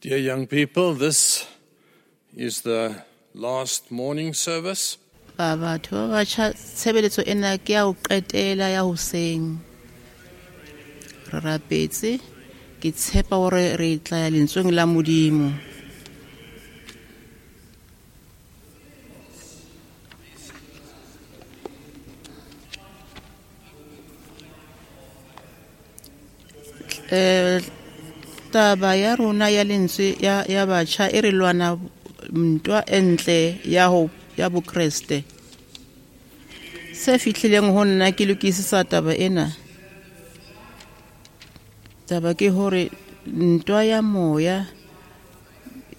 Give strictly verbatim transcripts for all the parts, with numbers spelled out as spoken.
Dear young people, this is the last morning service. Ba batho ba batjha, tshebeletso ena ke ya ho qetela ya hoseng. Re rapetse, ke tshepa hore re tla ya lentsweng la Modimo. Eh, taba ya rona ya lentswe ya, ya batjha e re lwana ntwa e ntle ya ho ya Bokreste. Se fihlileng ho nna ke lokisisa taba ena. Taba ke hore ntwa ya moya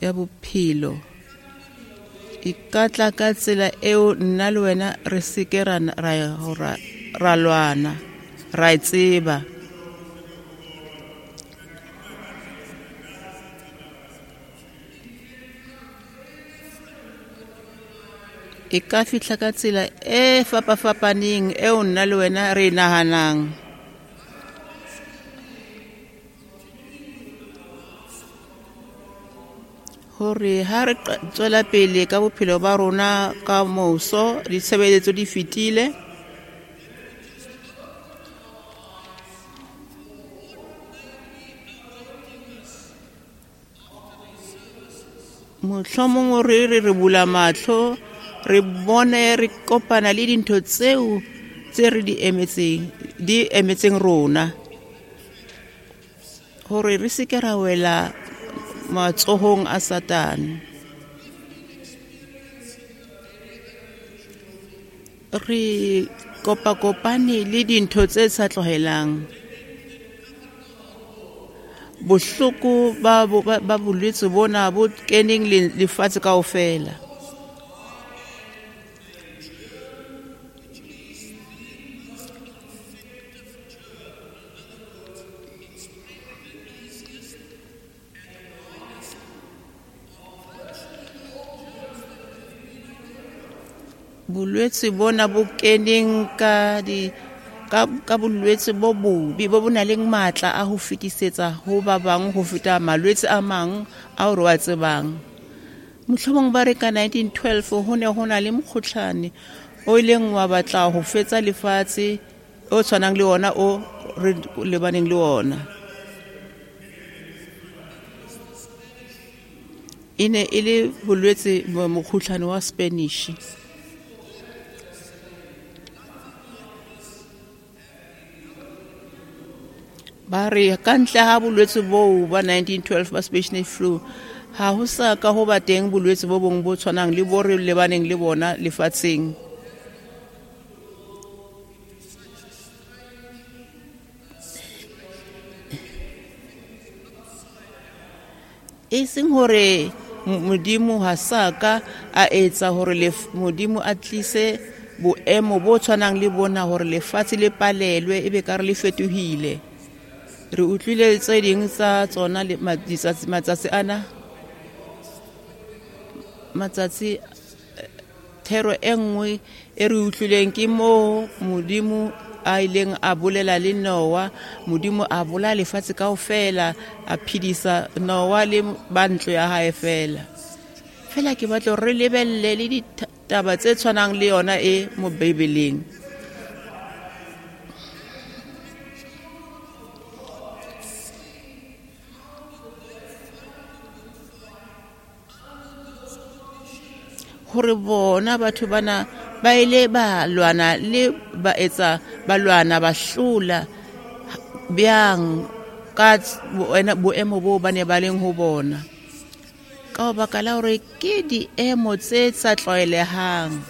ya bophelo e ka tla ka tsela eo nna le wena re se ke ra, ra, ra, ra lwana, ra e tseba. E ka fihla ka tsela e fapafapaneng eo nna le wena re e nahanang. Hore ha re qa-, tswela pele ka bophelo ba rona ka moso, ditshebeletso di fetile. Mohlomong re re re bula mahlo, re bone re kopana le dintho tseo tse re di emetseng, di emetseng rona. Hore re se ke ra wela matsohong a Satane. Re kopakopane le dintho tse sa tlohelang. Bohloko ba bo-, ba, ba bolwetse bona bo keneng le-, lefatshe kaofela. Bolwetse bona bo keneng ka di, ka, ka bolwetse bo bobe bo bo nang le matla a ho fetisetsa ho ba bang ho feta malwetse a mang ao re wa tsebang. Mohlomong ba re ka nineteen twelve ho ne ho na le mokgohlane o ileng wa batla ho fetsa lefatshe o tshwanang le ona o re lebaneng le ona. E ne e le bolwetse mokgohlane wa Spanish. Ba re ka ntle ha bolwetse boo ba nineteen twelve ba Spanish flu, ha ho sa ka ho ba teng bolwetse bo bong bo tshwanang le bo re lebaneng le bona lefatsheng. E seng hore Modimo ha sa ka a etsa hore lef-, Modimo a tlise boemo bo tshwanang le bona hore lefatshe le palelwe ebe ka re le fetohile. Re utlwile tse ding tsa tsona le ma-, ditsatsi, matsatsi ana. Matsatsi, thero e nngwe e re utlwileng ke moo Modimo a ileng a bolela le Noah. Modimo a bolaya lefatshe kaofela, a phedisa Noah le ba ntlo ya hae fela. Fela ke batla hore re lebelle le ditaba tse tshwanang le yona e mo Bibeleng. Hore bona batho bana ba ile ba lwana le ba etsa ba lwana ba hlola bjang ka boena, boemo bo ba ne ba leng ho bona. Ka baka la hore ke diemo tse sa tlwaelehang.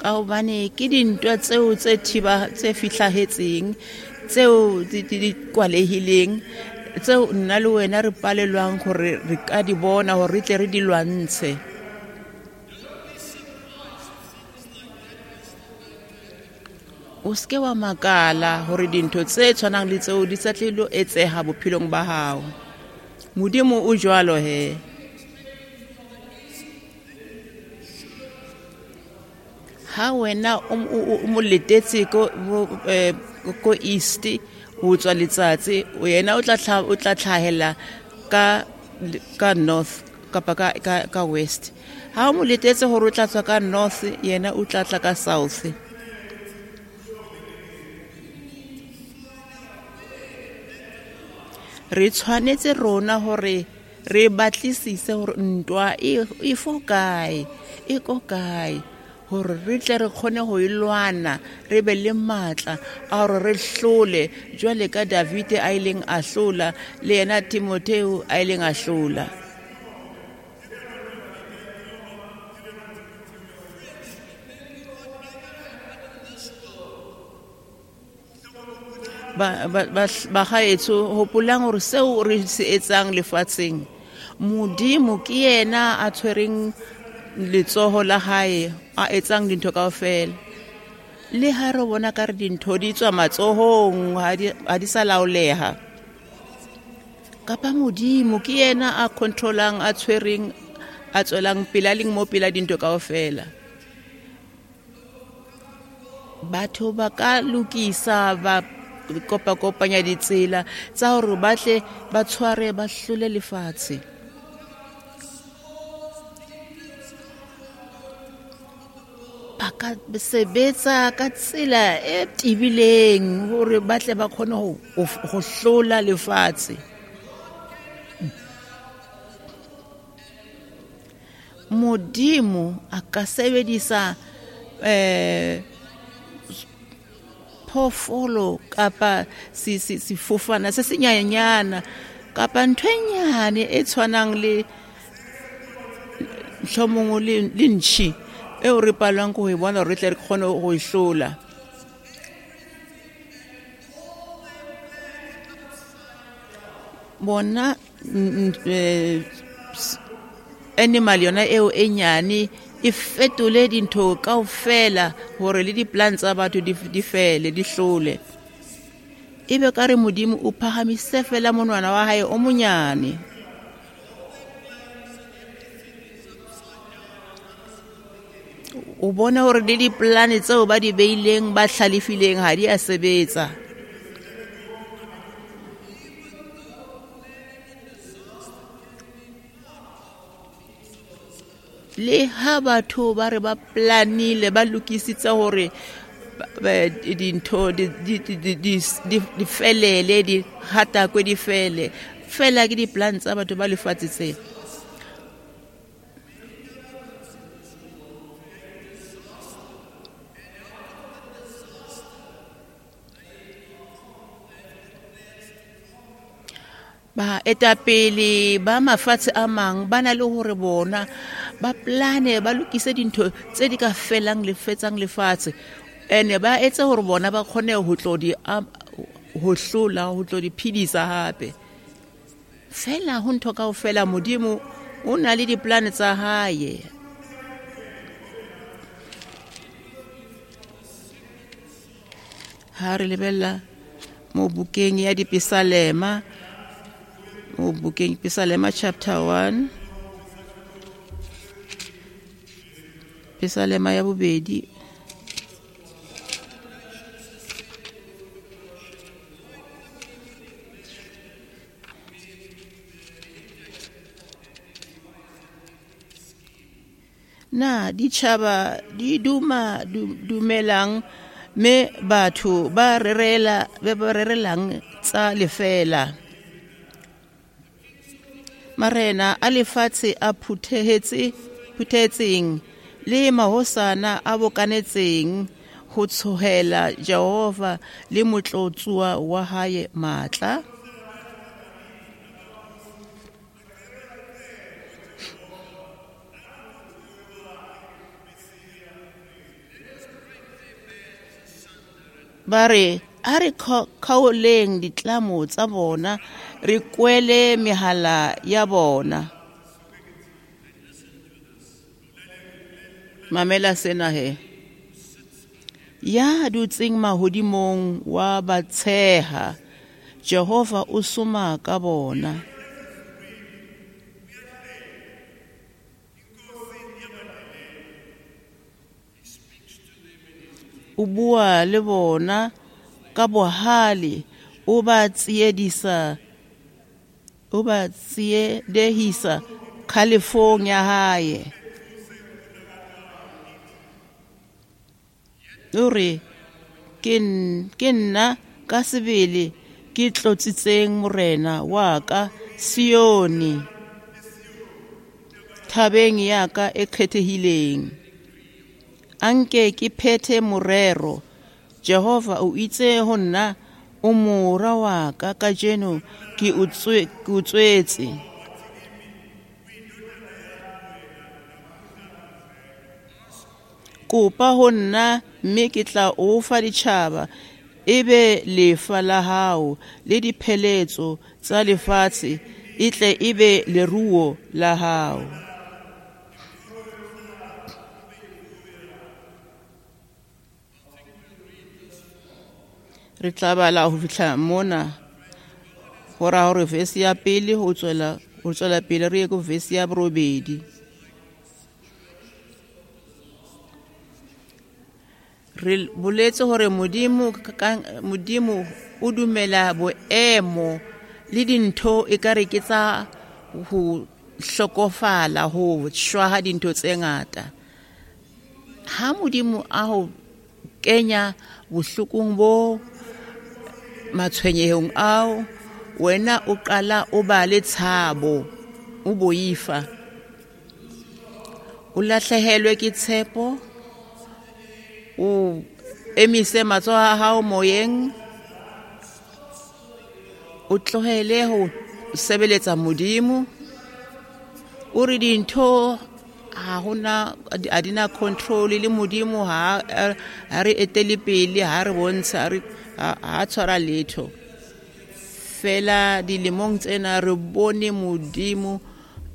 Ka hobane ke dintwa tseo tse thiba tse fihlahetseng, tseo di, di, di kwalehileng, tseo nna le wena re palelwang hore re ka di bona hore re tle re di lwantshe. O seke wa makala hore dintho tse tshwanang le tseo di sa tle lo etseha bophelong ba hao. Modimo o jwalo he. Ha wena o mo letetse ko ko east ho tswa letsatsi, yena o tla o tla tlhahela ka ka north kapa ka ka ka west. Ha o mo letetse hore o tla tswa ka north, yena o tla tla ka south. Re tshwanetse rona hore re batlisise hore ntwa e e fo kae, e ko kae, hore re tle re kgone ho e lwana, re be le matla a hore re hlole jwale ka Davide a ileng a hlola, le yena Timotheo a ileng a hlola. Ba ba ba gaetso, hopolang hore seo re se etsang lefatsheng, Modimo ke yena a tshwereng letsoho la hae, a etsang dintho kaofela. Le ha re bona ka re dintho di tswa matsohong, ha di ha di sa laoleha, kapa Modimo ke yena a controlang, a tshwereng, a tswelang pele, a leng mo pela dintho kaofela. Batho ba ka lokisa, ba kopa-kopanya ditsela tsa hore ba tle ba tshware, ba hlole lefatshe. Ba ka sebetsa ka tsela e tibileng hore ba tle ba kgone ho ho hlola lefatshe. Modimo a ka sebedisa eh phoofolo kapa sefofana se senyenyana kapa ntho e nyane e tshwanang le mohlomong le le ntšhi eo re palwang ke ho e bona hore re tle re kgone ho e hlola. Bona animal yona eo e nyane e fetole dintho kaofela hore le di-plan tsa batho di fele, di hlole. Ebe ka re Modimo o phahamise fela monwana wa hae o monyane. O bona hore le di-plan tseo ba di beileng, ba hlalefileng, ha di a sebetsa. Le ha batho ba re ba planile, ba lokisitse hore dintho di di felele, di hatakwe, di fele fela, ke di-plan tsa batho ba lefatshe tsena. Baetapele ba mafatshe a mang ba na le hore bona ba plane, ba lokise dintho tse di ka felang lefetsang lefatshe, ene ba etse hore bona ba kgone ho tlo di ho hlola, ho tlo di phedisa hape. Fela ho ntho kaofela Modimo o na le di-plan tsa hae. Ha re lebella mo bukeng ya Dipesalema, mo bukeng Pesalema chapter one, Pesalema ya bobedi, na ditjhaba di duma dumelang, me batho ba rerela ba rerelang tsa lefela. Marena a lefatshe a phuthehetse phuthehetseng le mahosana a bokanetseng ho tshohela Jehova le motlotsuwa wa hae matla. Ba re a re kgaoleng ditlamo tsa bona, re kwele mehala ya bona. Mamela sena he. Ya dutseng mahodimong wa ba tsheha, Jehova o soma ka bona. O bua le bona ka bohale, o ba tsiedisa, o ba tsiedehisa kgalefong ya hae. O re, ke nna ka sebele ke tlotsitseng morena wa ka Sione, thabeng ya ka e kgethehileng. Anke ke phethe morero. Jehova o itse ho nna, o mora wa ka, kajeno ke o tswetse. Kopa ho nna, mme ke tla o fa ditjhaba, e be lefa la hao, le dipheletso tsa lefatshe e tle e be leruo la hao. Re tla bala ho fihla mona ho ra hore verse ya pele ho tswela ho tswela pele re ye ko verse ya borobedi. Re boletse hore Modimo Modimo o dumela boemo le dintho ekare ke tsa ho hlokofala, ho shwa ha dintho tse ngata. Ha Modimo a ho kenya bohlokong bo matshwenyehong ao, wena o qala o ba le tshabo, o boifa, o lahlehelwe ke tshepo, o emise matsoho a hao moyeng, o tlohele ho sebeletsa Modimo. O re dintho ha hona a dina control le Modimo, ha ha re etele pele, ha re bontsha, re ha tshwara letho. Fela dilemong tsena re bone Modimo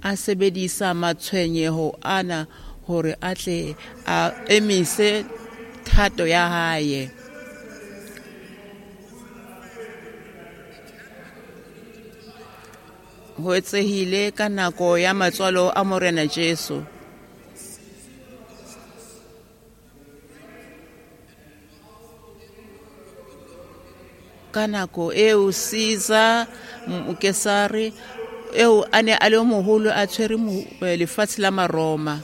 a sebedisa matshwenyeho ana hore a tle a emise thato ya hae. Ho etsehile ka nako ya matswalo a Morena Jesu. Ka nako eo Caesar Mokesare eo a ne a le moholo a tshwere lefatshe la Maroma.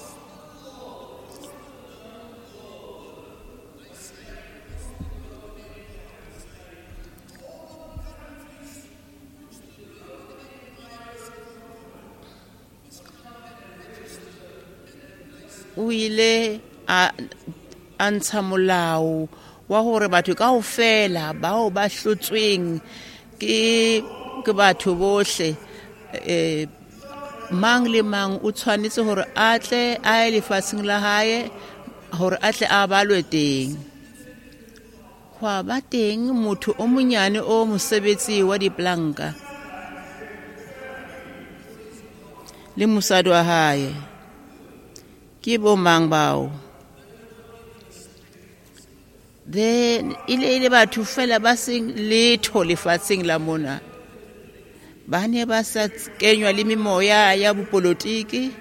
O ile a a ntsha molao wa hore batho kaofela bao ba hlotsweng ke ke batho bohle, eh mang le mang o tshwanetse hore a tle a ye lefatsheng la hae hore a tle a balwe teng. Hwa ba teng motho o monyane o mosebetsi wa diplanka le mosadi wa hae. Ke bo mang bao? Then ile ile batho fela ba seng letho lefatsheng la mona. Ba ne ba sa kenywa le memoya ya bopolotiki.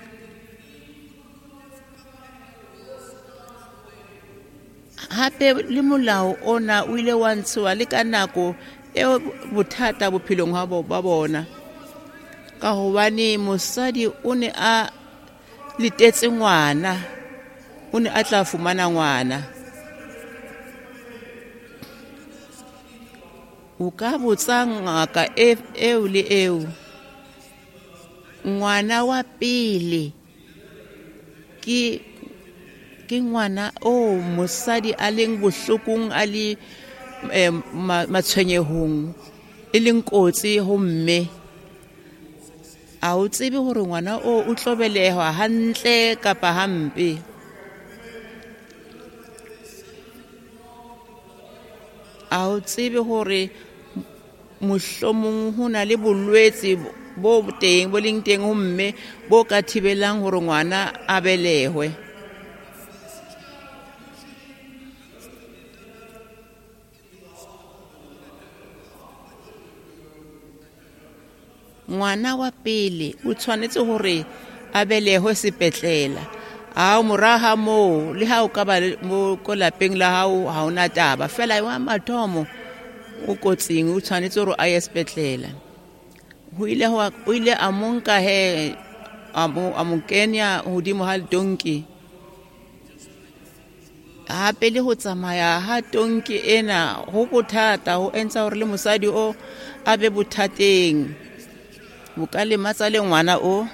Hape le molao ona o ile wa ntshiwa le ka nako eo bothata bophelong ba bona, ka hobane mosadi o ne a letetse ngwana, o ne a tla fumana ngwana. O ka botsa ngaka eo le eo, ngwana wa pele ke ke ngwana o mosadi a leng bohlokong, a le matshwenyehong, e leng kotsi ho mme. A o tsebe hore ngwana o o tlo belehwa hantle kapa hampe. A o tsebe hore mohlomong ho na le bolwetse bo teng bo leng teng ho mme bo ka thibelang hore ngwana a belehwe. Ngwana wa pele o tshwanetse hore a belehwe sepetlela. A moraha moo le ha o ka ba mo ko lapeng la hao ha ona taba fela wa mathomo o kotsing o tshwanetse hore a ye sepetlele. Ho ile o ile a mo nka he a mo a mo kenya hodimo ha tonki. Hape le ho tsamaya ha tonki ena ho bothata ho entsa hore le mosadi o a be bothateng. Bo ka lematsa le ngwana o.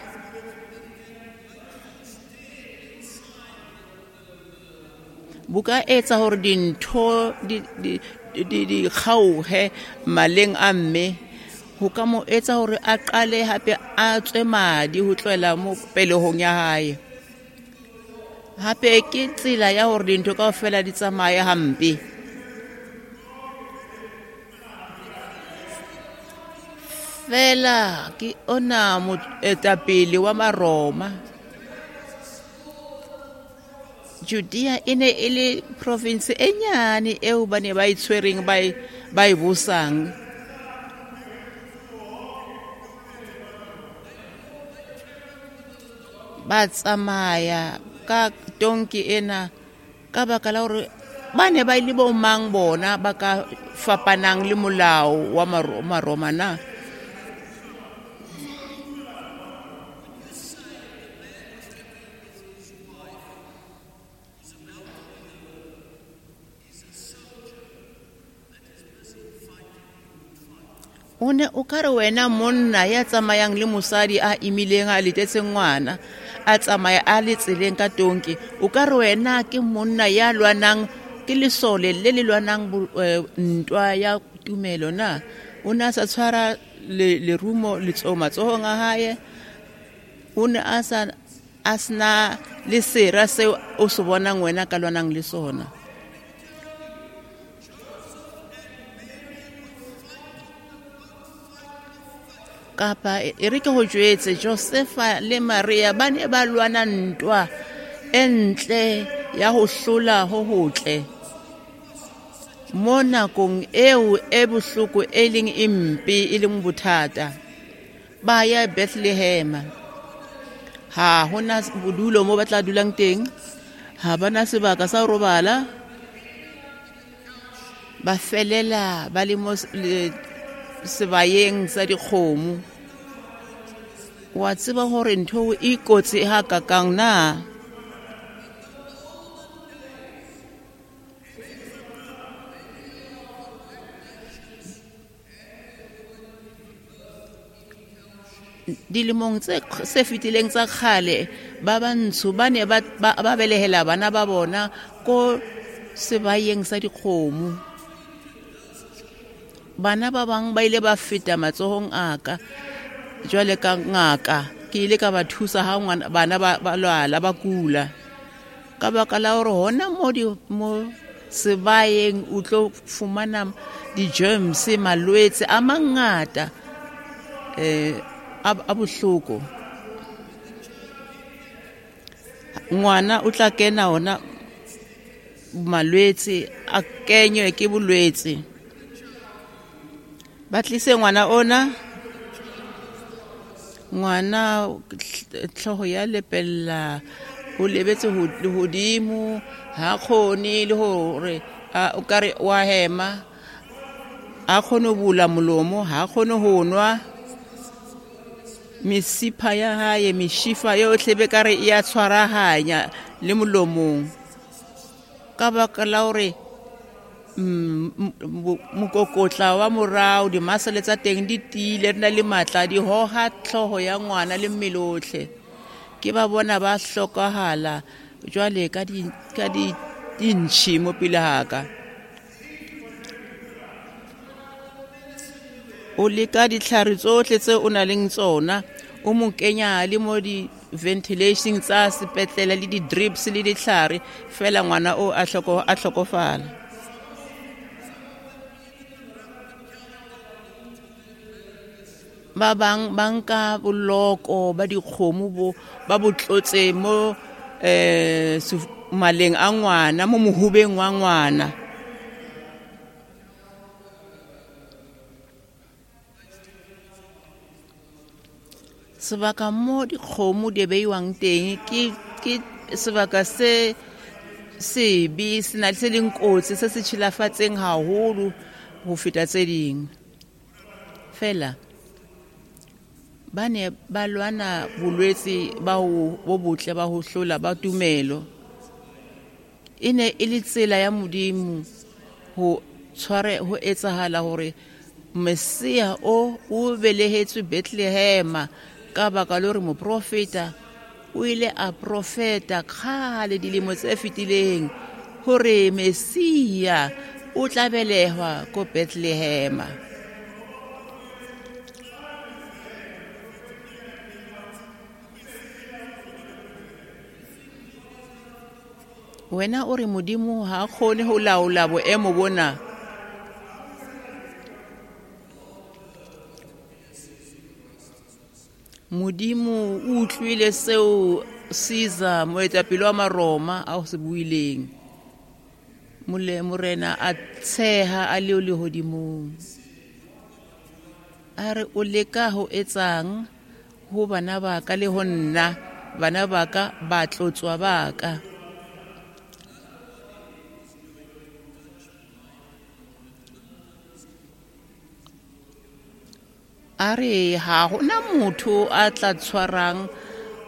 Bo ka etsa hore dintho di di di di kgaohe maleng a mme. Ho ka mo etsa hore a qale hape a tswe madi ho tlohela mo pelehong ya hae. Hape ke tsela ya hore dintho kaofela di tsamaye hampe. Fela ke ona moetapele wa Maroma. Judea e ne e le province e nyane eo ba ne ba e tshwereng ba e ba e busang. Ba tsamaya ka tonki ena ka baka la hore ba ne ba ile bo mang bona ba ka fapanang le molao wa Maroma na. O ne o ka re wena monna ya tsamayang le mosadi a imileng a letetse ngwana a tsamaya a le tseleng ka tonki, o ka re wena ke monna ya lwanang ke lesole le le lwanang ntwa ya tumelo na. O ne a sa tshwara lerumo matsohong a hae, o ne a sa a sena le sera seo o se bonang wena ka lwanang le sona. Kapa e re ke ho jwetse Josefa le Maria ba ne ba lwana ntwa e ntle ya ho hlola ho hotle mo nakong eo e bohloko e leng e mpe e leng bothata. Ba ya Bethlehem, ha hona bodulo mo ba tla dulang teng, ha bana sebaka sa ho robala, ba felela ba le mo sebayeng sa dikgomo. Wa tseba hore ntho e kotsi ha kakang na. Dilemong tse se fetileng tsa kgale ba bantsho ba ne ba ba belehela bana ba bona ko sebayeng sa dikgomo. Bana ba bang ba ile ba feta matsohong a ka jwale ka ngaka, ke ile ka ba thusa ha ngwana bana ba ba lwala ba kula. Ka baka la hore hona mo di mo sebayeng o tlo fumana di-germs malwetse a mangata eh a bohloko. Ngwana o tla kena ona malwetse a kenywe ke bolwetse. Ba tlise ngwana ona, ngwana tlhogo ya lepella o lebetse hodimo ha kgone le hore o ka re wa hema, a kgone ho bula molomo, ha kgone ho nwa. Mesipha ya hae meshifa yohle be ka re e ya tshwarahanya le molomong ka baka la hore mokokotla wa morao dimasele tsa teng di tiile di na le matla di hoha tlhoho ya ngwana le mmele otlhe. Ke ba bona ba hlokahala jwale ka di ka di dintšhi mo pele ha ka. O leka ditlhare tsohle tse o nang le tsona, o mo kenya le mo di-ventilation tsa sepetlele le di-drips le ditlhare fela ngwana o a hloko a hlokofala. Ba bang ba nka boloko ba dikgomo bo ba bo tlotse mo eh maleng a ngwana mo mohubeng wa ngwana. Sebaka mo dikgomo di beiwang teng ke ke sebaka se sebe, se na se leng kotsi, se se tshilafatseng haholo ho feta tse ding. Fela ba ne ba lwana bolwetse ba ho bo botle ba ho hlola ba tumelo. E ne e le tsela ya Modimo ho tshware ho etsahala hore Messia o o belehetswe Bethlehem ka baka la hore moprofeta o ile a profeta kgale dilemo tse fetileng hore Messia o tla belehwa ko Bethlehem. Wena o re Modimo ha kgone ho laola boemo bona. Modimo o utlwile seo Caesar moetapele wa Maroma a se buileng. Mole morena a tsheha a le lehodimong. A re o leka ho etsang ho bana ba ka le ho nna, bana ba ka ba tlotswa ba ka. A re ha hona motho a tla tshwarang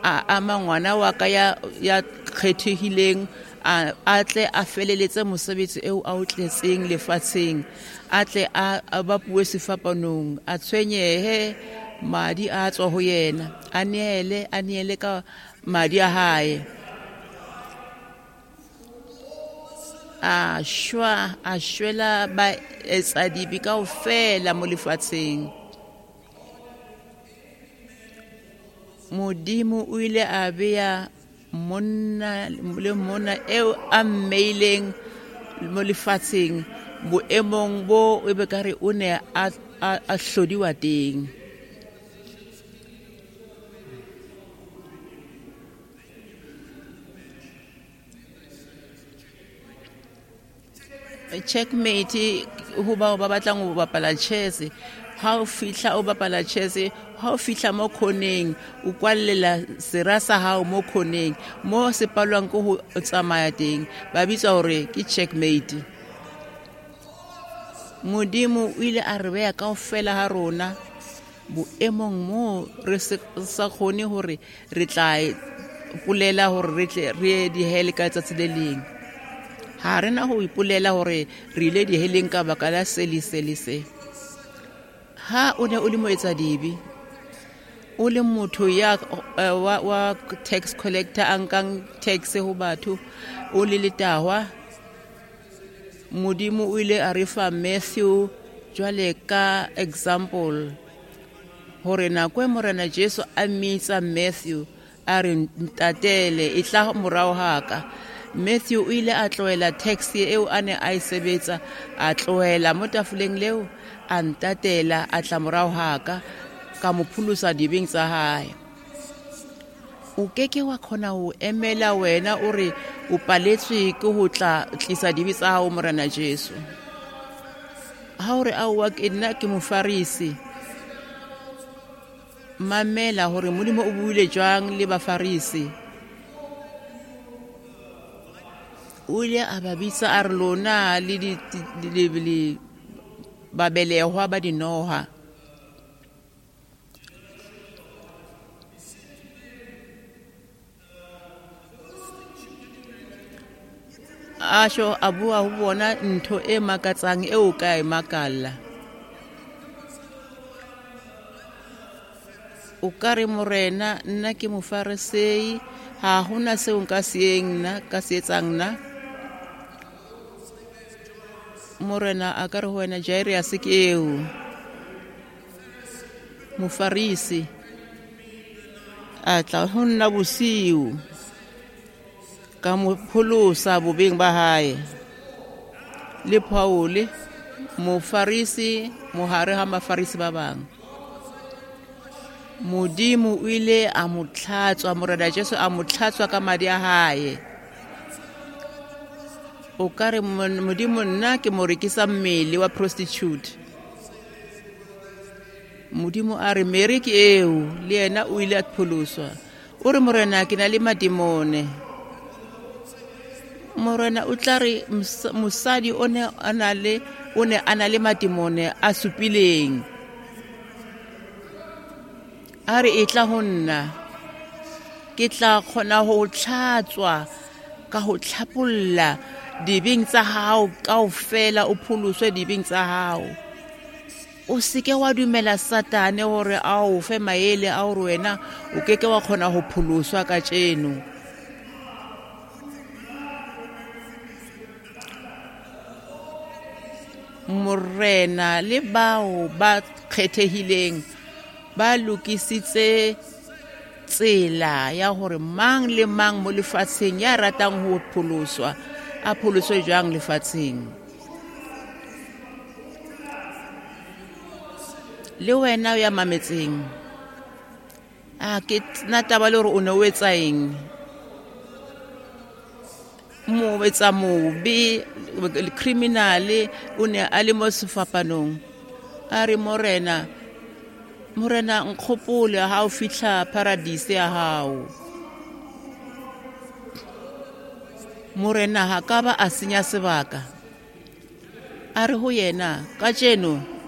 a ama ngwana wa ka ya ya kgethehileng a a tle a feleletse mosebetsi eo a o tletseng lefatsheng, a tle a a bapuwe sefapanong, a tshwenyehe madi a tswa ho yena, a neele a neele ka madi a hae. A shwa a shwela ba etsadibi kaofela mo lefatsheng. Modimo o ile a beya monna le monna eo a mmeileng mo lefatsheng boemong bo e be ka re o ne a a hlodiwa teng. Checkmate ho bao ba batlang ho bapala chess. Ha o fihla o bapala chess, ha o fihla mo khoneng o kwallela sera sa hao mo khoneng mo se palwang ke ho tsamaya teng, ba bitsa hore ke checkmate. Modimo o ile a re beya kaofela ha rona boemong mo re sa kgone hore re tla ipolela hore re tle re ye dihele ka letsatsi le leng. Ha re na ho ipolela hore re ile diheleng ka baka la se le se le se. Ha o ne o le moetsadibe, o le motho ya wa, wa tax collector a nkang tax ho batho, o le letahwa, Modimo o ile a re fa Matthew jwale ka example hore nako e Morena Jesu a mmitsa Matthew a re ntatele e tla morao ha ka. Matthew o ile a tlohela taxi eo a ne a e sebetsa, a tlohela mo tafoleng leo, a ntatela, a tla morao ha ka, ka mo pholosa dibeng tsa hae. O keke wa kgona ho emela wena o re o paletswe ke ho tla tlisa dibe tsa hao Morena Jesu. Ha o re aowa ke nna ke mofarisi, mamela hore Modimo o buile jwang le bafarisi. O ile a ba bitsa a re lona le di le babelehwa ba dinoha. A sho a bua ho bona ntho e makatsang eo ka e makalla. O ka re Morena nna ke mofarisei, ha hona seo nka se eng nna ka se etsang nna. Morena a ka re ho wena Jairus ke eo mofarisi a tla ho nna bosiu ka mo pholosa bobeng ba hae. Le Paul mofarisi mohare ha mafarisi ba bang, Modimo o ile a mo tlhatswa, Morena Jesu a mo tlhatswa ka madi a hae. O ka re Modimo nna ke mo rekisa mmele wa prostitute. Modimo a re Mary ke eo, le yena o ile a pholoswa. O re Morena ke na le madimone. Morena o tla re mosadi o ne a na le o ne a na le matimone a supileng. A re e tla ho nna, ke tla kgona ho tlhatswa ka ho tlhapolla dibeng tsa hao kaofela, o pholoswe dibeng tsa hao. O seke wa dumela Satane hore a o fe maele a hore wena o keke wa kgona ho pholoswa kajeno. Morena le bao ba kgethehileng ba lokisitse tsela ya hore mang le mang mo lefatsheng ya ratang ho pholoswa a pholoswe jwang lefatsheng. Le wena o ya mametseng, a ke nna taba le hore o ne o etsa eng, mo etsa mobe criminal o ne a le mo sefapanong. A re Morena, Morena nkgopole ha o fihla paradise ya hao. Morena ha ka ba a senya sebaka. A re ho yena, kajeno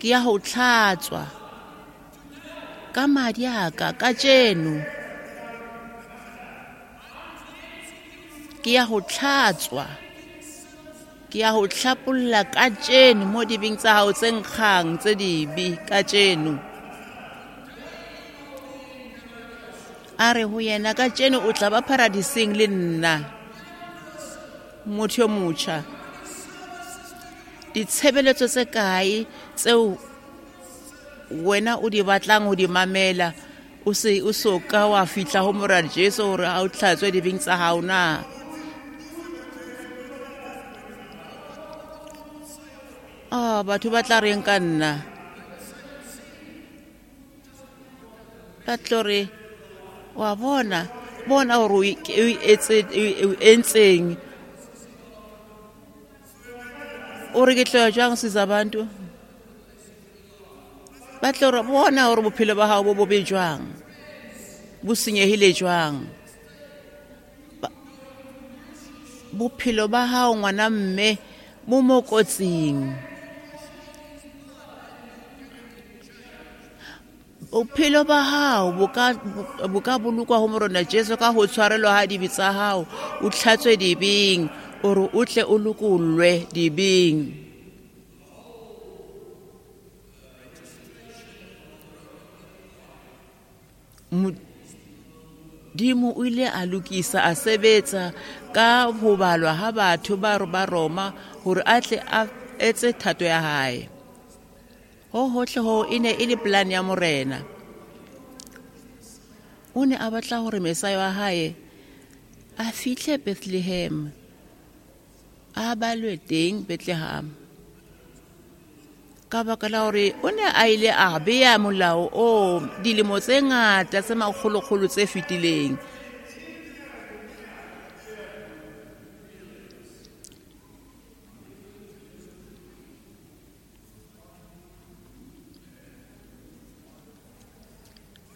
ke ya ho tlhatswa ka madi a ka, kajeno ke ya ho tlhatswa, ke ya ho hlapolla kajeno mo dibeng tsa hao tse nkgang tse dibe kajeno. A re ho yena, kajeno o tla ba paradiseng le nna. Motho yo motjha, ditshebeletso tse kae tseo wena o di batlang ho di mamela o se o so ka wa fihla ho Morena Jesu hore a o tlhatswe dibeng tsa hao na? Ah, batho ba tla reng ka nna? Ba tlo re, wa bona, bona hore o etse o entseng. O re ke tlo ya jwang siza abantu? Ba tlo re bona hore bophelo ba hao bo bobe jwang, bo senyehile jwang. Bophelo ba hao ngwana mme bo mo kotsing. Bophelo ba hao bo ka bo ka bolokwa ho Morena Jesu ka ho tshwarelwa ha dibe tsa hao, o tlhatswe dibeng hore o tle o lokollwe dibeng. Modimo o ile a lokisa a sebetsa ka ho balwa ha batho ba ba Roma hore a tle a etse thato ya hae. Ho hohle ho e ne e le plan ya Morena. O ne a batla hore Mesaya wa hae a fihle Bethlehem, a balwe teng Bethlehem. Ka baka la hore o ne a ile a beya molao o dilemo tse ngata tse makgolokgolo tse fetileng.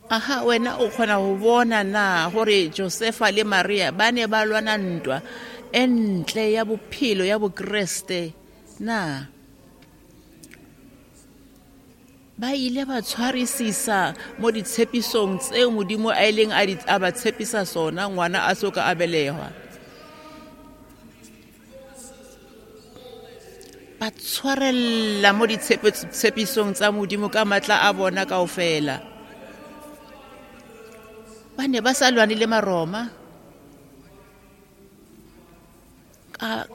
Aha, wena o kgona ho bona na hore Josefa le Maria ba ne ba lwana ntwa e ntle ya bophelo ya Bokreste na? Ba ile ba tshwarisisa mo ditshepisong tseo Modimo a ileng a di a ba tshepisa sona ngwana a so ka a belehwa. Ba tshwarella mo ditshepisong tsa Modimo ka matla a bona kaofela. Ba ne ba sa lwane le Maroma,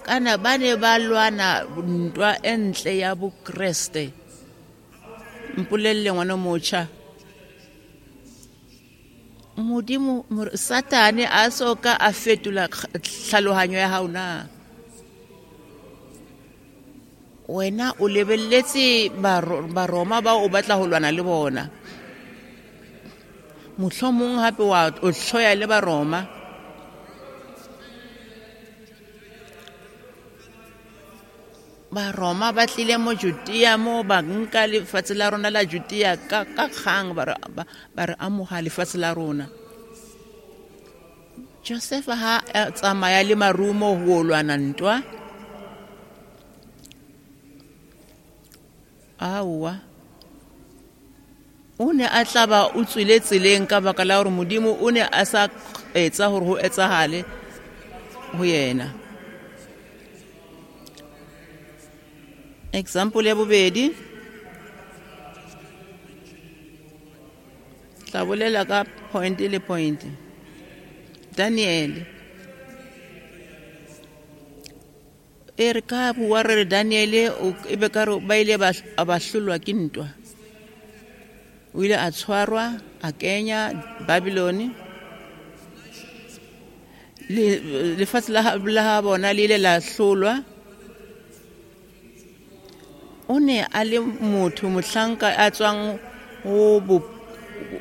kana ba ne ba lwana ntwa e ntle ya Bokreste. Mpolelle ngwana motjha, Modimo Satane a so ka a fetola tlhalohanyo ya hao na? Wena o lebelletse Baroma ba o batla ho lwana le bona, mohlomong hape wa o hloya le Baroma. Baroma ba tlile mo Judea mo ba nka lefatshe la rona la Judea ka ka kgang, ba re ba re amoha lefatshe la rona. Josefa ha a tsamaya le marumo ho lwana ntwa. Aowa, o ne a tla ba o tswile tseleng ka baka la hore Modimo o ne a sa etsa hore ho etsahale ho yena. Example ya bobedi, tla bolela ka point le point. Daniel, e re ka bua re re Daniel e be ka re ba ile ba ba hlolwa ke ntwa. O ile a tshwarwa a kenya Babylon. Le lefatshe la la bona le ile la hlolwa. O ne a le motho mohlanka a tswang ho bo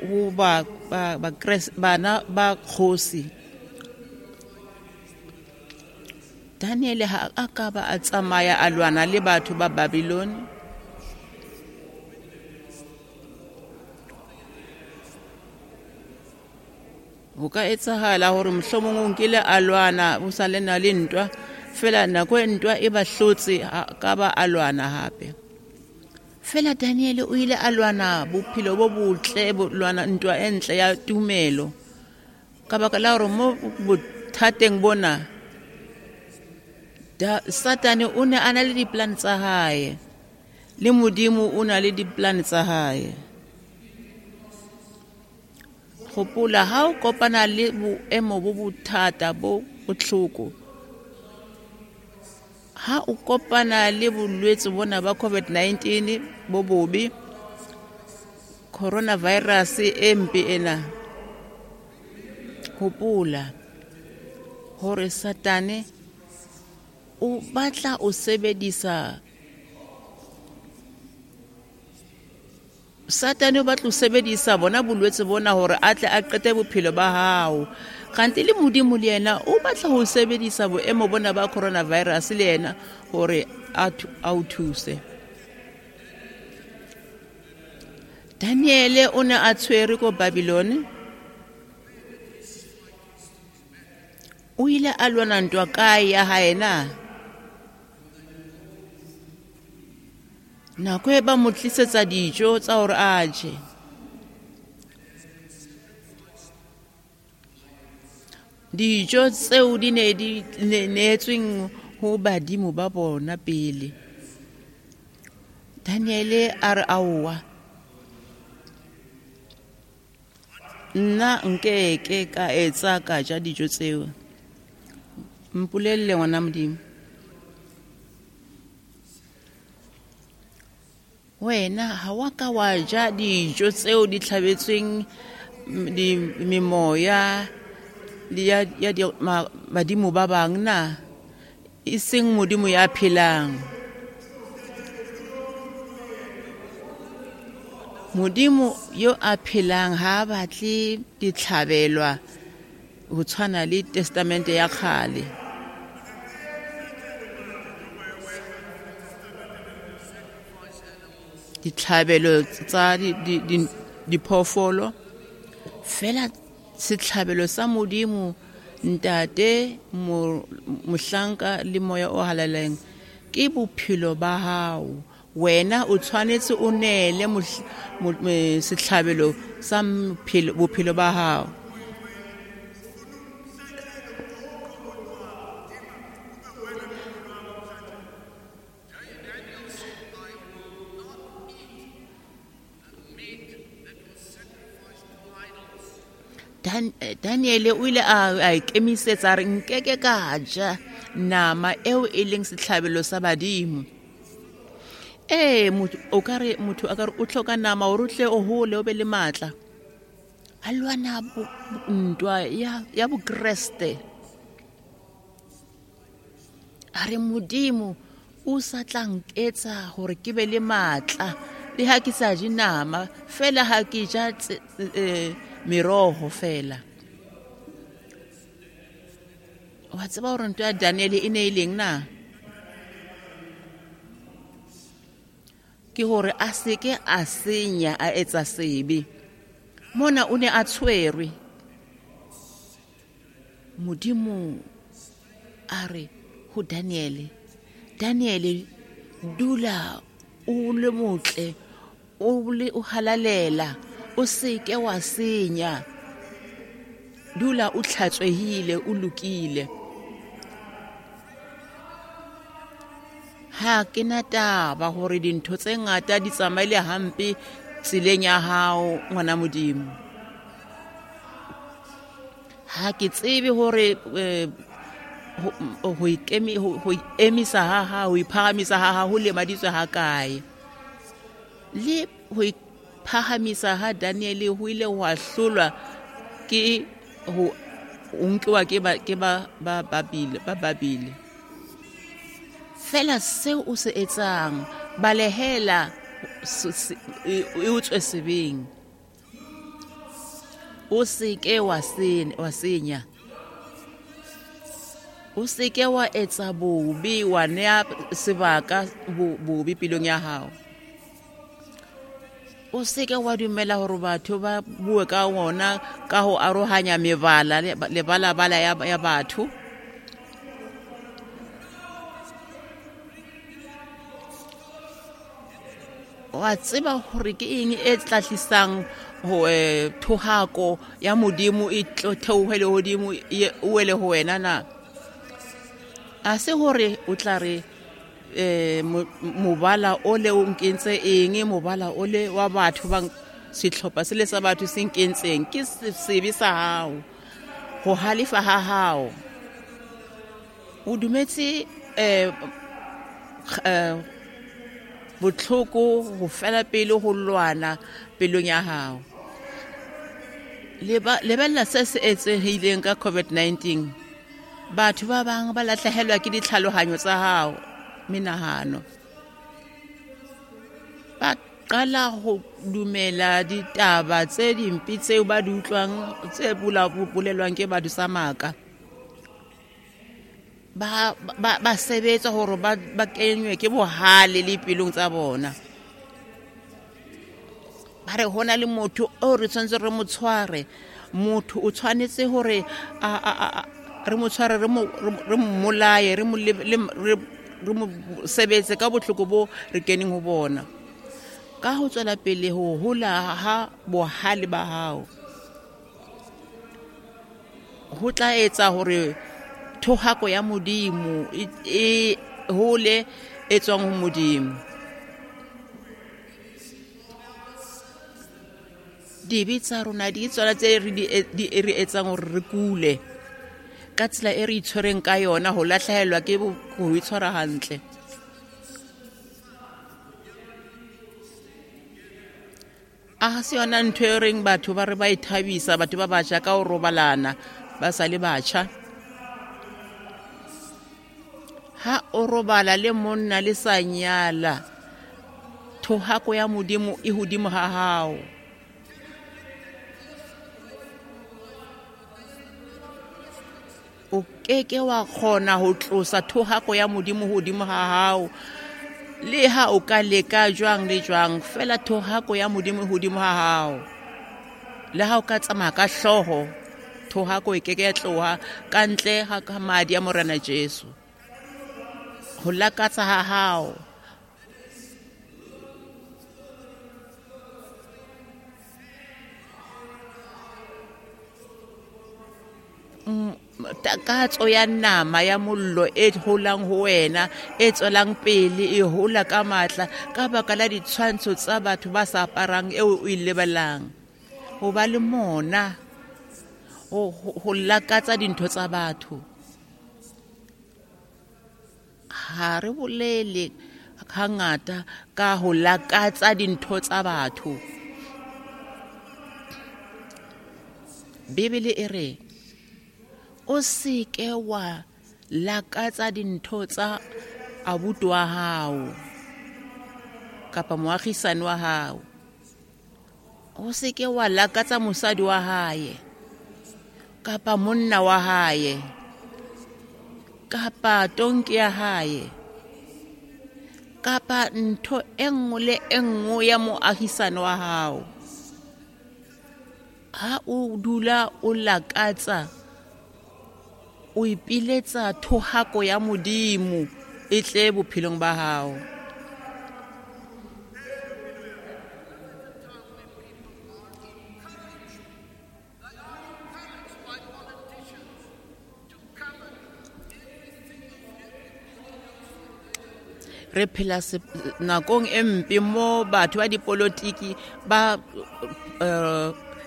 ho ba ba ba bana ba kgosi. Daniel ha a ka ba a tsamaya a lwana le batho ba Babylon. Ho ka etsahala hore mohlomong o nkile a lwana ho sa le na le ntwa, fela nako e ntwa e ba hlotse ka ba a lwana hape. Fela Daniel o ile a lwana bophelo bo botle, bo lwana ntwa e ntle ya tumelo. Ka baka la hore mo bothateng bona da Satane o ne a na le di-plan tsa hae, le Modimo o na le di-plan tsa hae. Hopola ha o kopana le boemo bo bothata bo bohloko, ha o kopana le bolwetse bona ba COVID nineteen bo bobe, coronavirus e mpe ena, hopola hore Satane o batla o sebedisa Satane o batla o sebedisa bona bolwetse bona hore a tle a qete bophelo ba hao. Kgante le Modimo le yena o batla ho sebedisa boemo bona ba coronavirus le yena hore a o thuse. Daniele o ne a tshwerwe ko Babylon. O ile a lwana ntwa kae ya hae na? Nako e ba mo tlisetsa dijo tsa hore a je. Dijo tseo di ne di neetsweng ho badimo ba bona pele. Daniele a re aowa, nna nkeke ka etsa ka ja dijo tseo. Mpolelle ngwana Modimo, wena ha wa ka wa ja dijo tseo di tlhabetsweng di memoya le ya ya badimo ba bang na? E seng Modimo ya phelang. Modimo yo a phelang ha batle ditlhabelwa ho tshwana le testamente ya kgale. Ditlhabelo tsa diphoofolo, fela setlhabelo sa Modimo Ntate, mohlanka le moya o halalelang ke bophelo ba hao. Wena o tshwanetse o neele setlhabelo sa bophelo ba hao. Dan, Daniele o ile a a ikemisetsa re nkeke ka ja nama eo e leng setlhabelo sa badimo. Eh motho o ka re motho a ka re o tlhoka nama hore o tle o hole o be le matla. A lwana ntwa ya ya bokreste. A re Modimo o sa tla nketsa hore ke be le matla le ha ke sa je nama, fela ha ke ja eh meroho fela. Wa tseba hore ntwa ya Daniele e ne e leng na? Ke hore a seke a senya a etsa sebe. Mona o ne a tshwerwe. Modimo a re ho Daniele, Daniele dula o le motle, o le o halalela, o seke wa senya, dula o tlhatswehile, o lokile. Ha ke na taba hore dintho tse ngata di tsamaile hampe tseleng ya hao ngwana Modimo. Ha ke tsebe hore ho ikemi ho emisa ha ha ho iphahamisa ha ha ho lemaditswe ha kae. Le ho iphahamisa ha Daniele ho ile ho hlolwa ke ho nkiwa ke ba ke ba ba Babile ba Babile. Fela seo o se etsang, balehela e o tswe sebeng. O seke wa wa senya. O seke wa etsa bobe, wa nea sebaka bobe pelong ya hao. O seke wa dumela hore batho ba bue ka wona ka ho arohanya mebala lebalabala ya ya batho. Wa tseba hore ke eng e tlatlisang ho thohako ya Modimo e theohele hodimo e wele ho wena na? A se hore o tla re eh mobala o le o nkentse eng, mobala o le wa batho ba sehlopha se le sa batho se nkentseng, ke sebe sa hao, ho halefa ha hao. O dumetse eh botlhoko ho fela pele ho lwana pelong ya hao. Lebella se se etsehileng ka COVID nineteen. Batho ba bang ba lahlehelwa ke ditlhalohanyo tsa hao, menahano. Ba qala ho dumela ditaba tse dimpe tseo ba di utlwang, tse bolelwang ke batho sa maka. Ba ba ba sebetsa hore ba ba kenywe ke bohale le pelong tsa bona. Ba re hona le motho o re tshwanetse re mo tshware, motho o tshwanetse hore a a re mo tshware, re mo re mmolaye, re mo re mo sebetse ka bohloko bo re keneng ho bona. Ka ho tswela pele ho hola ha bohale ba hao, ho tla etsa hore thohako ya Modimo e hole e tswang ho Modimo. Dibe tsa rona di tsona tse re di re etsang hore re kule ka tsela e re itshwereng ka yona, ho lahlehelwa ke ho itshwara hantle. A se yona ntho e reng batho ba re ba ithabisa, batho ba batjha ka ho robalana ba sa le batjha. Ha o robala le monna le sa nyala, thohako ya Modimo e hodimo ha hao. O keke wa kgona ho tlosa thohako ya Modimo hodimo ha hao, le ha o ka leka jwang le jwang, fela thohako ya Modimo hodimo ha hao. Le ha o ka tsamaya ka hlooho, thohako e keke ya tloha ka ntle ha madi a Morena Jesu. Ho lakatsa ha hao, takatso ya nama ya mollo e holang ho wena, e tswelang pele e hola ka matla ka baka la ditshwantsho tsa batho ba sa aparang eo o e lebelang. Ho ba le mona, ho lakatsa dintho tsa batho. Ha re bolele hangata ka ho lakatsa dintho tsa batho. Bibele e re o seke wa lakatsa dintho tsa abuti wa hao kapa moagisane wa hao. O seke wa lakatsa mosadi wa hae kapa monna wa hae kapa tonki ya hae kapa ntho e nngwe le e nngwe ya moahisane wa hao. Ha o dula o lakatsa O ipiletsa thohako ya Modimo e tle bophelong ba hao. Re phela nakong e mpe mo batho ba dipolotiki ba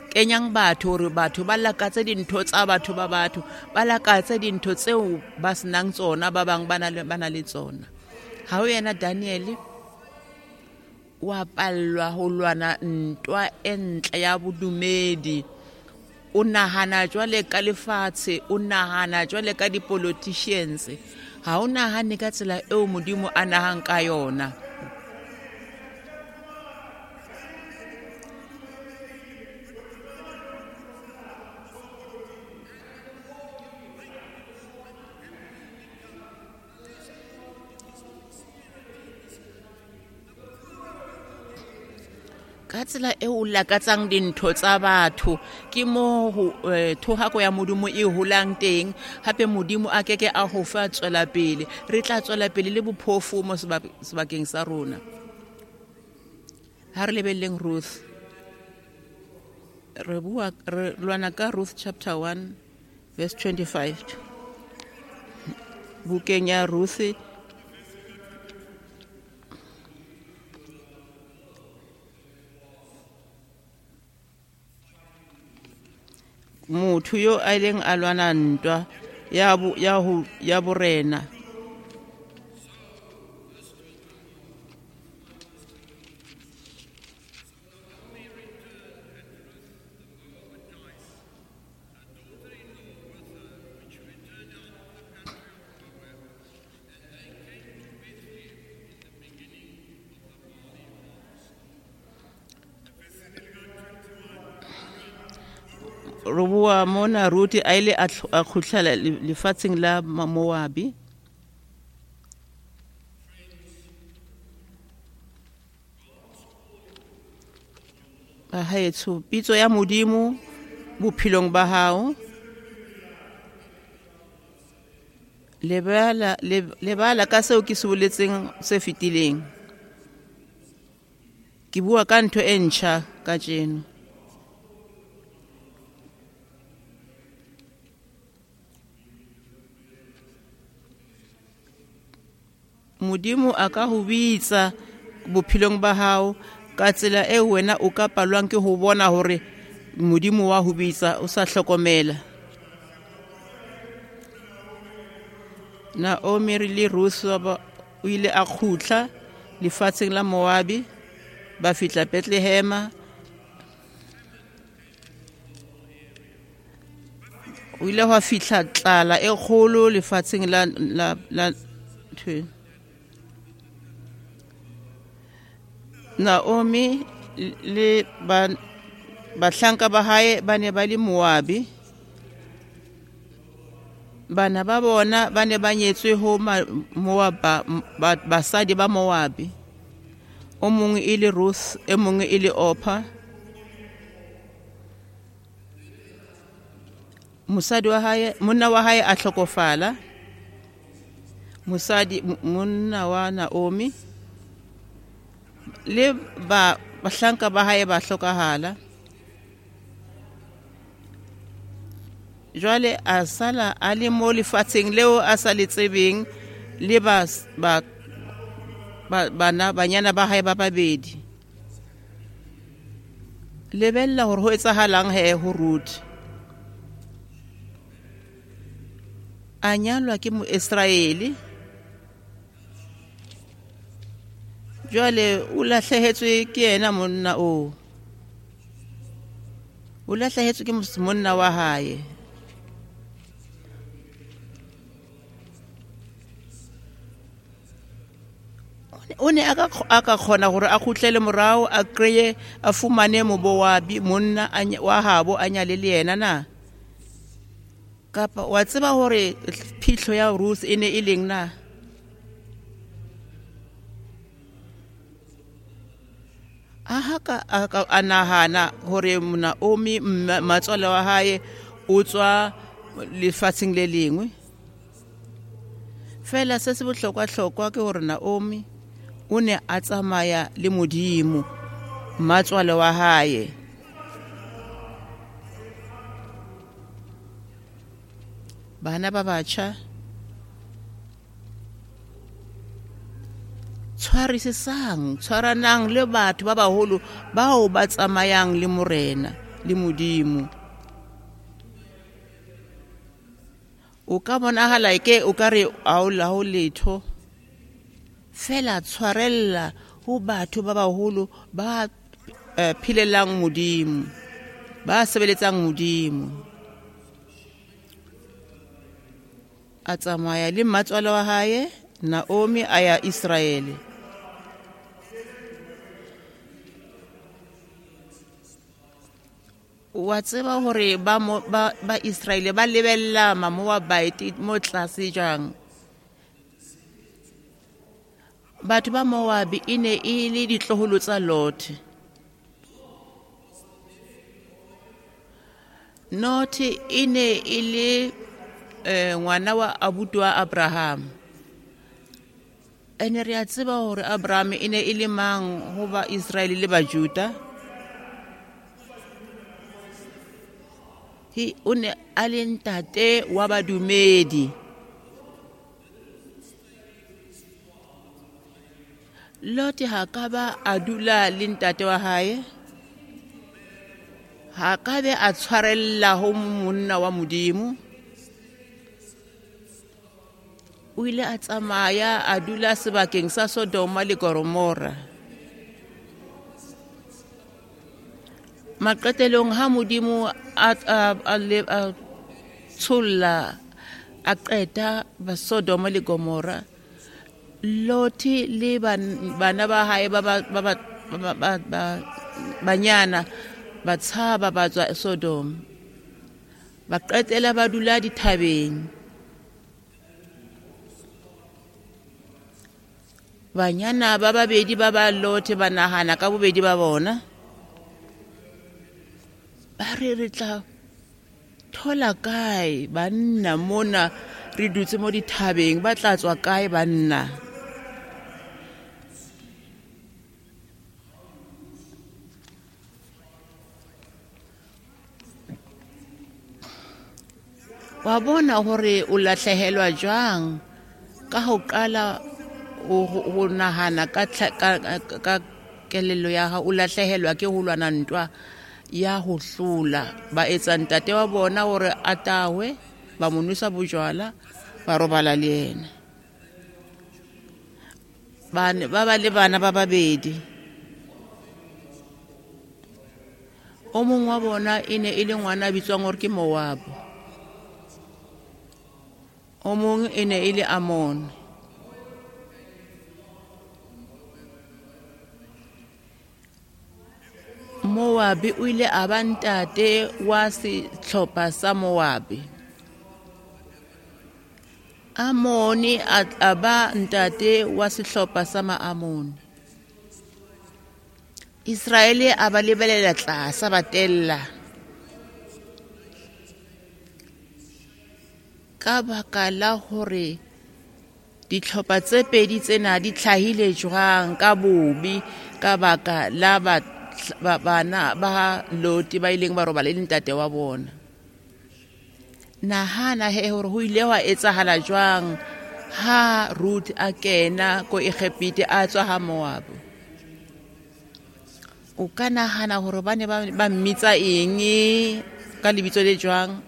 kenyang batho hore batho ba lakatse dintho tsa batho ba batho ba lakatse dintho tseo ba senang tsona ba bang ba na le tsona. Ha o yena Daniel wa pallwa ho lwana ntwa e ntle ya bodumedi. O nahana jwale ka lefatshe, o nahana jwale ka di-politicians. Ha o nahane ka tsela eo Modimo a nahang ka yona. Ka tsela eo o lakatsang dintho tsa batho ke mo thohako ya Modimo e holang teng. Hape Modimo a keke a ho fa tswela pele. Re tla tswela pele le bophofu mo sebakeng sa rona. Ha re lebelleng Ruth. Re bua re lwana ka Ruth chapter one verse twenty-five. Bukeng ya Ruth motho yo a ileng a lwana ntwa ya ya ho ya borena. Re bua mona Ruth a ile a kgutlela lefatsheng la Moabi. Bahaetsho, pitso ya Modimo bophelong ba hao. Lebala lebala ka seo ke se boletseng se fetileng. Ke bua ka ntho e ntjha kajeno. Modimo a ka ho bitsa bophelong ba hao ka tsela e wena o ka palwang ke ho bona hore Modimo wa ho bitsa o sa hlokomela. Naomi le Ruth o ile a kgutla lefatsheng la Moabi, ba fihla Bethlehem. O ile hwa fihla tlala e kgolo lefatsheng la la la Naomi le ba bahlanka ba hae ba ne ba le Moabi. Bana ba bona ba ne ba nyetswe ho Moab, basadi ba Moabi. O mongwe e le Ruth, e mongwe e le Orpah. Mosadi wa hae, monna wa hae a hlokofala. Mosadi monna wa Naomi le ba bahlanka ba hae ba hlokahala. Jwale a sala a le mo lefatsheng leo a sa le tsebeng le ba ba bana banyana ba hae ba babedi. Lebella hore ho etsahalang he ho Ruth. A nyalwa ke Moisraele. Jwale o lahlehetswe ke yena monna o. O lahlehetswe ke monna wa hae. O ne a ka a ka kgona hore a kgutlele morao a kreye a fumane Moabi monna wa habo a nyale le yena na. Kapa wa tseba hore phihlo ya Ruth e ne e leng na? A ha ka a nahana hore Naomi matswala wa hae o tswa lefatsheng le lengwe. Fela se se bohlokwa-hlokwa ke hore Naomi o ne a tsamaya le Modimo, mmatswale wa hae. Bana ba batjha, tshwarisisang, tshwaranang le batho ba baholo bao ba tsamayang le Morena le Modimo. O ka bonahala eke o ka re ha o la ho letho, fela tshwarella ho batho ba baholo ba eh, phelelang Modimo, ba sebeletsang Modimo. A tsamaya le mmatswale wa hae Naomi a ya Israele. Wa tseba hore ba mo, ba, ba Israele ba lebella Mamoabite mo tlase jwang. Batho ba Moabi e ne e le ditloholo tsa Lot. Lot e ne e le eh, ngwana wa abuti wa Abraham. Ene re a tseba hore Abraham e ne e le mang ho ba Israele le ba Juda. He o ne a le ntate wa badumedi. Lot ha ka ba a dula le ntate wa hae, ha ka be a tshwarella ho monna wa Modimo. O ile a tsamaya a dula sebakeng sa Sodoma le Gomora. Maqetelong ha Modimo a a a, a tsholla a qeta ba Sodoma le Gomora, Lot le bana ba hae ba ba ba ba ba banyana ba tshaba ba tswa Sodoma, ba qetela ba dula dithabeng. Banyana ba babedi ba ba Lot ba nahana ka bobedi ba bona, ba re re tla thola kae banna mona, re dutse mo dithabeng, ba tla tswa kae banna? Wa bona hore o lahlehelwa jwang ka ho qala o nahana ka ka kelello ya hao, o lahlehelwa ke ho lwana ntwa ya ho hlola. Ba etsa ntate wa bona hore a tahwe, ba mo nwesa bojwala, ba robala le yena. Ba ba ba le bana ba babedi. O mong wa bona e ne e le ngwana a bitswang hore ke Moab, o mong e ne e le Amon. Moabi o ile a ba ntate wa sehlopha sa Moabi. Amoni a ba ntate wa sehlopha sa Maamoni. Israele a ba lebelela tlase, ba tella. Ka baka la hore dihlopha tse pedi tsena di hlahile jwang ka bobe, ka baka la ba bana ba Lot ba ileng ba robala le ntate wa bona. Nahana he hore ho ile hwa etsahala jwang ha Ruth a kena ko Egepete a tswa ha Moab. O ka nahana hore ba ne ba mmitsa eng ka lebitso le jwang?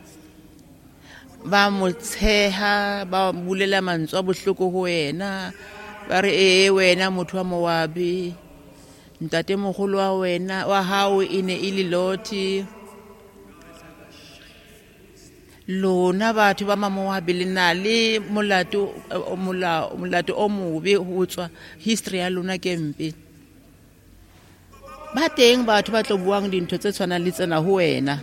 Ba mo tsheha, ba bulela mantswe a bohloko ho wena, ba re ee wena motho wa Moabi, ntate mogolo wa wena wa hao e ne e le Lot. Lona batho ba Mamoabi le na le molato molato o mobe ho tswa history ya lona ke mpe. Ba teng batho ba tlo buang dintho tse tshwanang le tsena ho wena.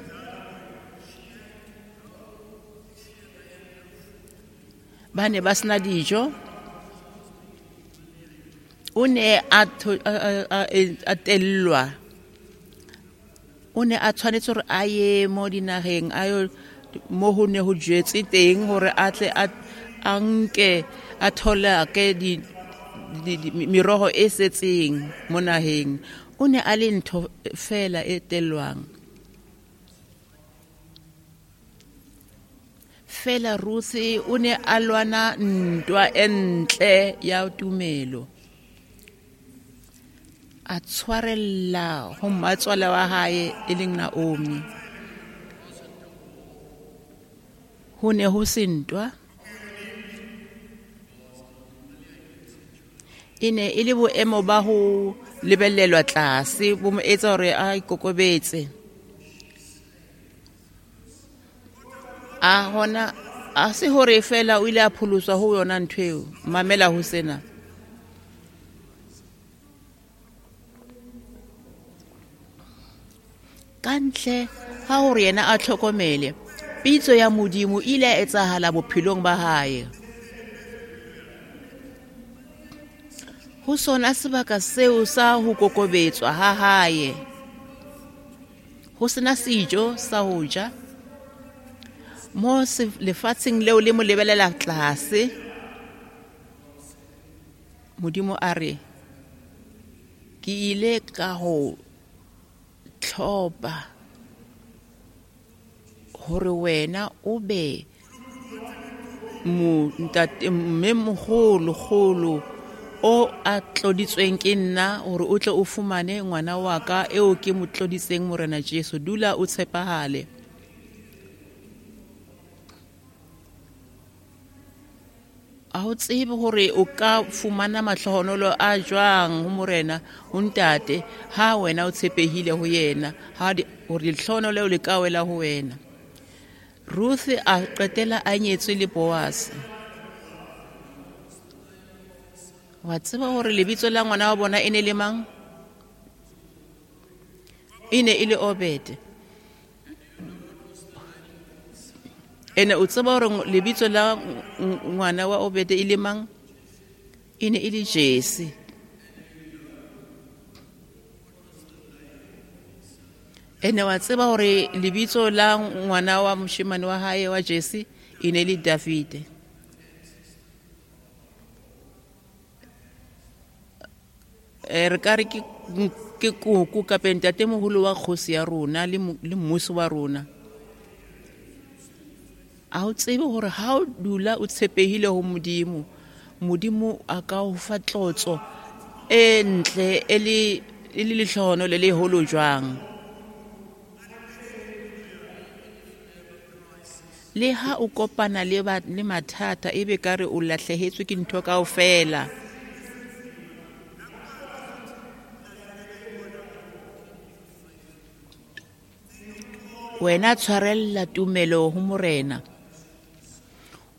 Ba ne ba sena dijo. O ne a a tellwa. O ne a tshwanetse hore a ye mo dinaheng a yo mo ho ne ho jetswe teng hore a tle a a nke a tholake di meroho e setseng mo naheng. O ne a le ntho fela e tellwang. Fela Ruth o ne a lwana ntwa e ntle ya tumelo. A tshwarella ho mmatswala wa hae e leng Naomi. Ho ne ho se ntwa. E ne e le boemo ba ho lebellelwa tlase bo mo etsa hore a ikokobetse. A hona a se hore fela o ile a pholoswa ho yona ntho eo. Mamela ho sena. Ka ntle ha hore yena a tlhokomele, pitso ya Modimo e ile ya etsahala bophelong ba hae. Ho sona sebaka seo sa ho kokobetswa ha hae, ho sena sejo sa ho ja, mo lefatsheng leo le mo lebelela tlase, Modimo a re, ke ile ka ho tlhopa hore wena o be mo ntate mme moholo kgolo o a tloditsweng ke nna hore o tle o fumane ngwana wa ka eo ke mo tloditseng Morena Jesu. Dula o tshepahale. A ho tsebe hore o ka fumana mahlohonolo a jwang ho Morena ho ntate ha wena o tshepehile ho yena, ha hore lehlohonolo leo le ka wela ho wena. Ruth a qetela a nyetswe le Boaz. Wa tseba hore lebitso la ngwana wa bona e ne le mang? E ne e le Obed. Ene o tseba hore lebitso la ngwana wa Obed e le mang? E ne e le Jesse. Ene wa tseba hore lebitso la ngwana wa moshemane wa hae wa Jesse e ne le David. Re ka re ke ke koko kapa ntatemoholo wa kgosi ya rona le le mmusi wa rona. A o tsebe hore ha o dula o tshepehile ho Modimo, Modimo a ka o fa tlotso e ntle e le e le lehlohonolo le leholo jwang. Le ha o kopana le ba le mathata ebe ka re o lahlehetswe ke ntho kaofela. Wena tshwarella tumelo ho Morena.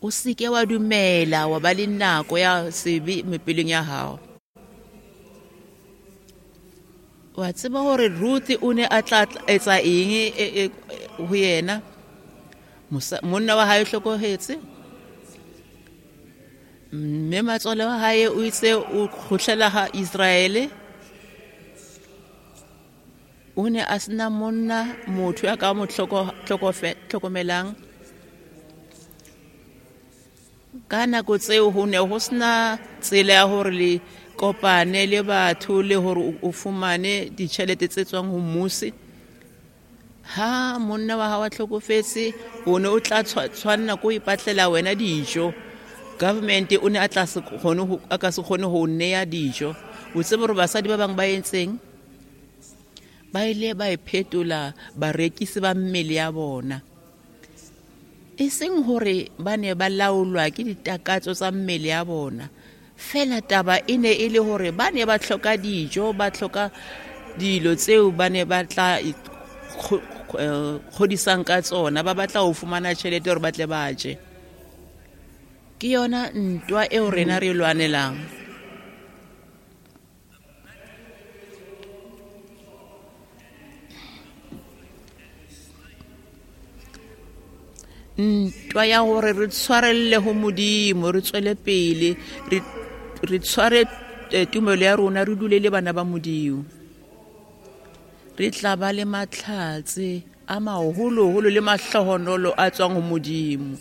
O seke wa dumela wa ba le nako ya sebe mepeleng ya hao. Wa tseba hore Ruth o ne a tla etsa eng ho yena? Monna wa hae o hlokohetse, mme matswale wa hae o itse o kgutlela ha Israele. O ne a sena monna motho ya ka mo tlhokomelang. Ka nako tseo ho ne ho sena tsela ya hore le kopane le batho le hore o fumane ditjhelete tse tswang ho mmusi. Ha monna wa hao a hlokofetse, o ne o tla tshwanna ko ipatlela wena dijo. Government o ne a tla se kgone ho a ka se kgone ho neya dijo. O tsebe hore basadi ba bang ba entseng? Ba ile ba iphetola barekisi ba mmele ya bona. E seng hore ba ne ba laolwa ke ditakatso tsa mmele ya bona. Fela taba e ne e le hore ba ne ba hloka dijo, ba hloka dilo tseo ba ne ba tla kgodisang ka tsona, ba batla ho fumana tjhelete hore ba tle ba je. Ke yona ntwa eo rena re lwanelang. Ntwa ya hore re tshwarelle ho Modimo, re tswele pele, re re tshware tumelo ya rona, re dule le bana ba Modimo. Re tla ba le matlhatse a maholoholo le mahlohonolo a tswang ho Modimo.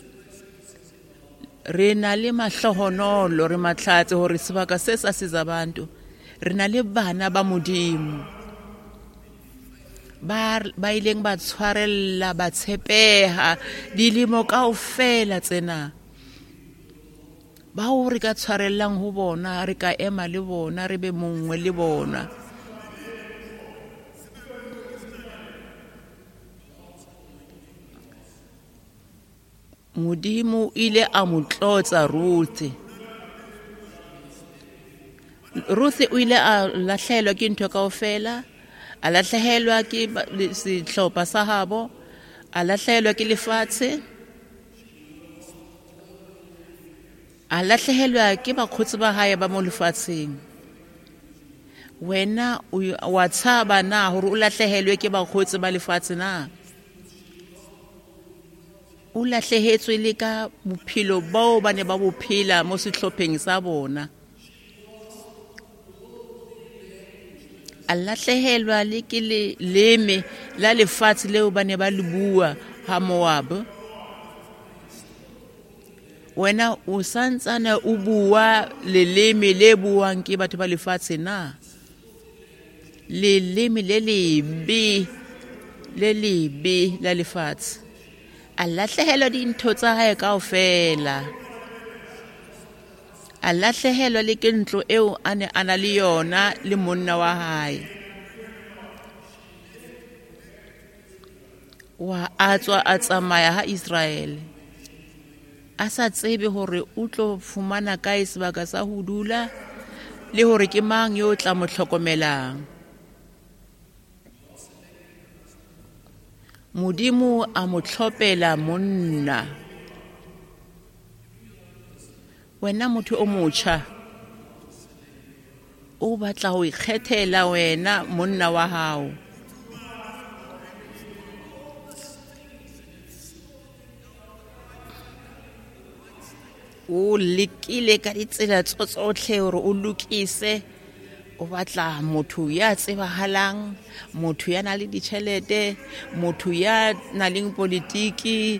Re na le mahlohonolo, re matlhatse hore sebaka se sa Sizabantu re na le bana ba Modimo ba ba ileng ba tshwarella, ba tshepeha dilemo kaofela tsena, bao re ka tshwarellang ho bona, re ka ema le bona, re be mongwe le bona. Modimo ile a mo tlotsa Ruth. Ruth o ile a lahlehelwa ke ntho kaofela, a lahlehelwa ke sehlopha sa habo, a lahlehelwa ke lefatshe, a lahlehelwa ke bakgotsi ba hae ba mo lefatsheng. Wena wa tshaba na hore o lahlehelwe ke bakgotsi ba lefatshe na? O lahlehetswe le ka bophelo bao ba ne ba bo phela mo sehlopheng sa bona. A lahlehelwa le ke leleme la lefatshe leo ba ne ba le bua ha Moab. Wena o santsane o bua leleme le buang ke batho ba lefatshe na? Leleme le lebe, le lebe la lefatshe. A lahlehelwa dintho tsa hae kaofela. A lahlehelwa le ke ntlo eo a ne a na le yona le monna wa hae. Wa a tswa a tsamaya ha Israele, a sa tsebe hore o tlo fumana kae sebaka sa ho dula le hore ke mang yo tla mo hlokomelang. Modimo a mo tlhopela monna. Wena motho o motjha, o batla ho ikgethela wena monna wa hao. O lekile ka ditsela tsohle hore o lokise, o batla motho ya tsebahalang, motho ya nang le ditjhelete, motho ya nang le politiki,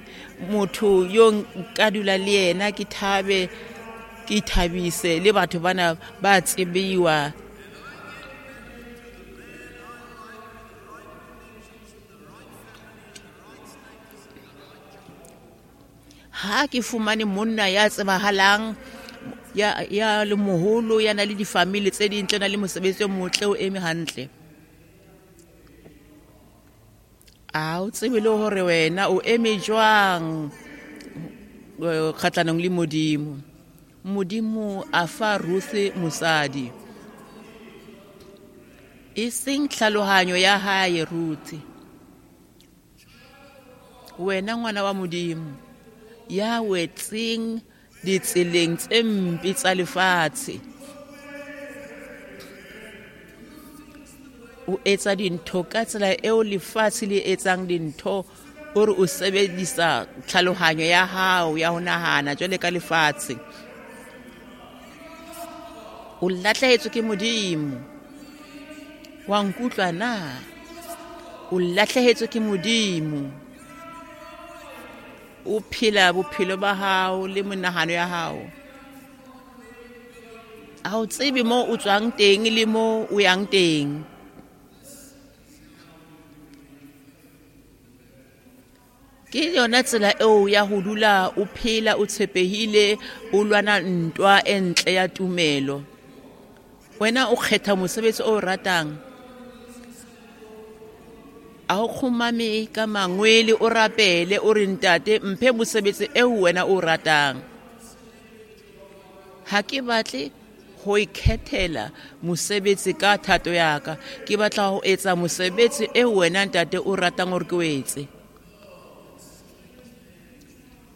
motho yo nka dula le yena ke thabe, ke ithabise le batho bana ba tsebiwa. Ha ke fumane monna ya tsebahalang, ya ya le moholo, ya na le difamily tse dintle, na le mosebetsi o motle, o eme hantle. A o tsebe le hore wena o eme jwang kgahlanong le Modimo. Modimo a fa Ruth mosadi, e seng tlhalohanyo ya hae. Ruth, wena ngwana wa Modimo ya wetseng ditseleng tse mpe tsa lefatshe, o etsa dintho ka tsela eo lefatshe le etsang dintho, o re o sebedisa tlhalohanyo ya hao ya ho nahana jwale ka lefatshe. O lahlehetswe ke Modimo. Wa nkutlwa na? O lahlehetswe ke Modimo. O phela bophelo ba hao le monahano ya hao. Ha o tsebe mo o tswang teng le mo o yang teng. Ke yona tsela eo ya ho dula o phela o tshepehile, o lwana ntwa e ntle ya tumelo. Wena o kgetha mosebetsi o ratang. A o kgumame ka mangwele, o rapele, o re ntate mphe mosebetsi eo wena o ratang. Ha ke batle ho ikhethela mosebetsi ka thato ya ka, ke batla ho etsa mosebetsi eo wena ntate o ratang hore ke o etse.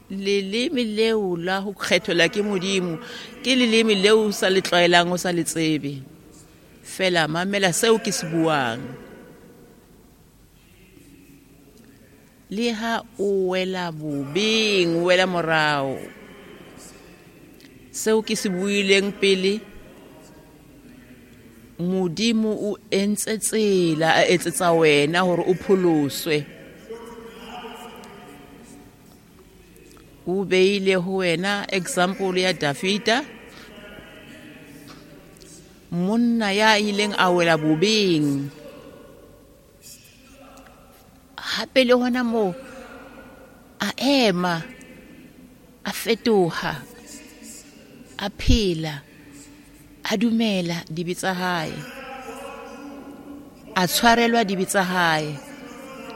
Leleme leo la ho kgethelwa ke Modimo ke leleme leo o sa le tlwaelang, o sa le tsebe. Fela mamela seo ke se buang. Le ha o wela bobeng, o wela morao, seo ke se buileng pele, Modimo o entse tsela, a etsetsa wena hore o pholoswe. Ko beile ho wena example ya Davida, monna ya ileng a wela bobeng. Hape le hona moo a ema, a fetoha, a phela, a dumela dibe tsa hae, a tshwarelwa dibe tsa hae,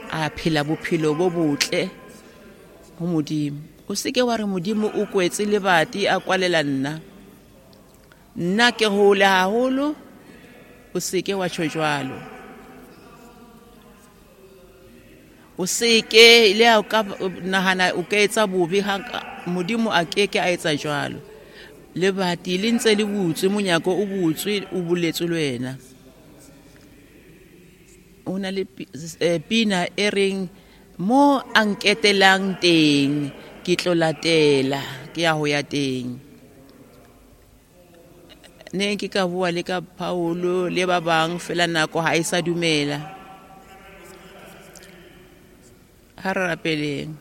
a phela bophelo bo botle ho Modimo. O seke wa re Modimo o kwetse lebati a kwalela nna, nna ke hole haholo. O seke wa tjho jwalo. O seke le ha o ka nahana o ka etsa bobe, ha Modimo a keke a etsa jwalo. Lebati le ntse le butswe, monyako o butswe, o buletswe le wena. O na le pina e reng mo a nketelang teng ke tlo latela, ke ya ho ya teng. Ne ke ka bua le ka Paulo le ba bang fela nako ha e sa dumela. Ha re rapeleng.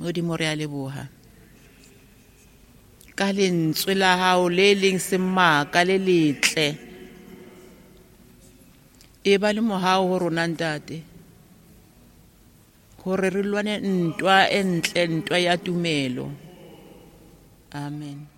Modimo, re a leboha ka lentswe la hao le leng semaka le letle. E ba le mohau ho rona Ntate, hore re lwane ntwa e ntle, ntwa ya tumelo. Amen.